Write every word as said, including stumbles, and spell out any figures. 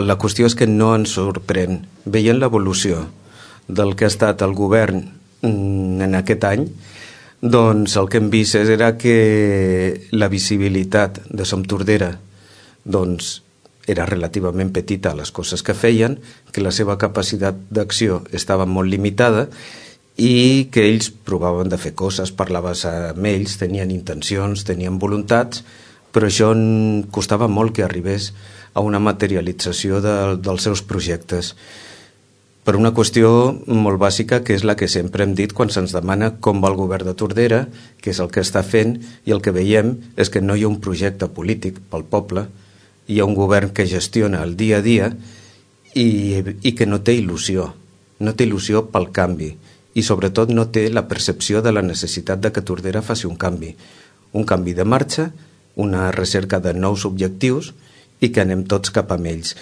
la qüestió és que no ens sorprèn. Veient l'evolució del que ha estat el govern en aquest any, doncs el que hem vist era que la visibilitat de Som Tordera doncs era relativament petita a les coses que feien, que la seva capacitat d'acció estava molt limitada i que ells provaven de fer coses, parlaves amb ells, tenien intencions, tenien voluntats, però això costava molt que arribés a una materialització de, dels seus projectes. Per una qüestió molt bàsica, que és la que sempre hem dit quan se'ns demana com va el govern de Tordera, que és el que està fent, i el que veiem és que no hi ha un projecte polític pel poble, hi ha un govern que gestiona el dia a dia i, i que no té il·lusió, no té il·lusió pel canvi, i sobretot no té la percepció de la necessitat de que Tordera faci un canvi, un canvi de marxa, una recerca de nous objectius i que anem tots cap amb ells.